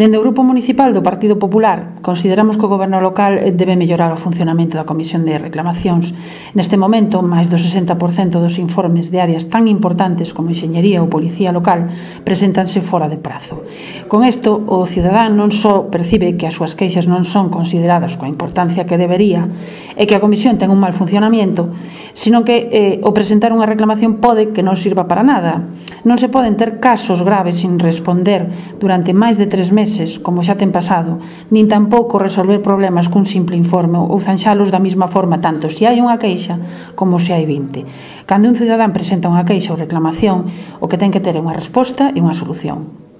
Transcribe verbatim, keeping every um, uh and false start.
Dende o Grupo Municipal do Partido Popular consideramos que o Goberno local debe mellorar o funcionamento da Comisión de Reclamacións. Neste momento, máis do sesenta por cento dos informes de áreas tan importantes como Enxeñería ou Policía Local preséntanse fora de prazo. Con isto, o cidadán non só percibe que as súas queixas non son consideradas coa importancia que debería e que a Comisión ten un mal funcionamento, sino que eh, o presentar unha reclamación pode que non sirva para nada. Non se poden ter casos graves sin responder durante máis de tres meses, como xa ten pasado, nin tampouco resolver problemas cun simple informe ou zanxalos da mesma forma tanto se hai unha queixa como se hai vinte. Cando un cidadán presenta unha queixa ou reclamación, o que ten que ter é unha resposta e unha solución.